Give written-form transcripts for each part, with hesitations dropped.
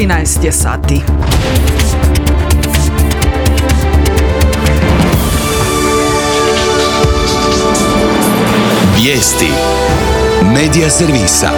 13 je sati. Vijesti Medija servisa.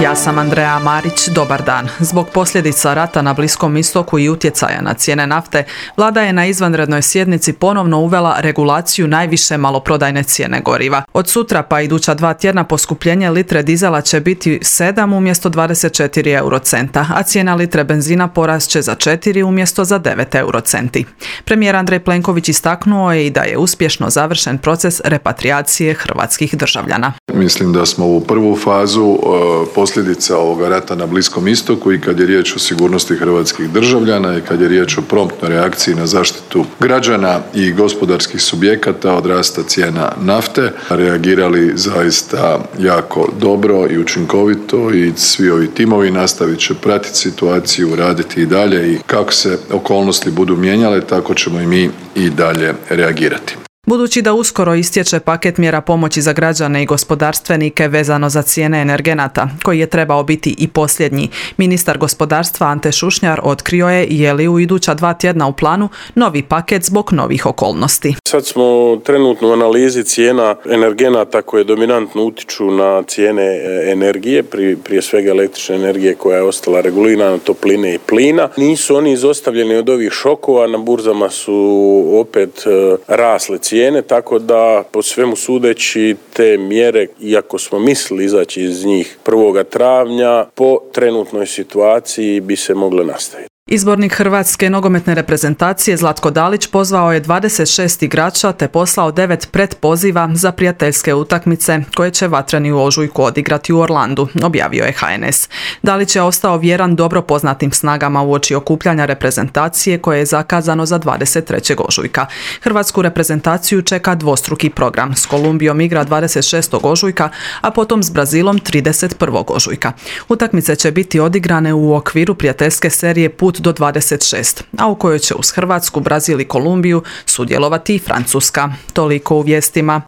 Ja sam Andreja Marić, dobar dan. Zbog posljedica rata na Bliskom istoku i utjecaja na cijene nafte, vlada je na izvanrednoj sjednici ponovno uvela regulaciju najviše maloprodajne cijene goriva. Od sutra pa iduća 2 tjedna poskupljenje litre dizela će biti 7 umjesto 24 eurocenta, a cijena litre benzina porast će za 4 umjesto za 9 eurocenti. Premijer Andrej Plenković istaknuo je i da je uspješno završen proces repatriacije hrvatskih državljana. Mislim da smo u prvu fazu posljedica ovoga rata na Bliskom istoku i kad je riječ o sigurnosti hrvatskih državljana i kad je riječ o promptnoj reakciji na zaštitu građana i gospodarskih subjekata od rasta cijena nafte, reagirali zaista jako dobro i učinkovito i svi ovi timovi nastavit će pratiti situaciju, raditi i dalje i kako se okolnosti budu mijenjale, tako ćemo i mi i dalje reagirati. Budući da uskoro istječe paket mjera pomoći za građane i gospodarstvenike vezano za cijene energenata, koji je trebao biti i posljednji, ministar gospodarstva Ante Šušnjar otkrio je li u iduća 2 tjedna u planu novi paket zbog novih okolnosti. Sad smo trenutno u analizi cijena energenata koje dominantno utiču na cijene energije, prije svega električne energije koja je ostala regulirana, topline i plina. Nisu oni izostavljeni od ovih šokova, na burzama su opet rasle cijene, tako da po svemu sudeći te mjere, iako smo mislili izaći iz njih 1. travnja, po trenutnoj situaciji bi se mogle nastaviti. Izbornik hrvatske nogometne reprezentacije Zlatko Dalić pozvao je 26 igrača te poslao 9 pretpoziva za prijateljske utakmice koje će vatreni u ožujku odigrati u Orlandu, objavio je HNS. Dalić je ostao vjeran dobro poznatim snagama uoči okupljanja reprezentacije koje je zakazano za 23. ožujka. Hrvatsku reprezentaciju čeka dvostruki program. S Kolumbijom igra 26. ožujka, a potom s Brazilom 31. ožujka. Utakmice će biti odigrane u okviru prijateljske serije Put do 26, a u kojoj će uz Hrvatsku, Brazil i Kolumbiju sudjelovati i Francuska. Toliko u vijestima.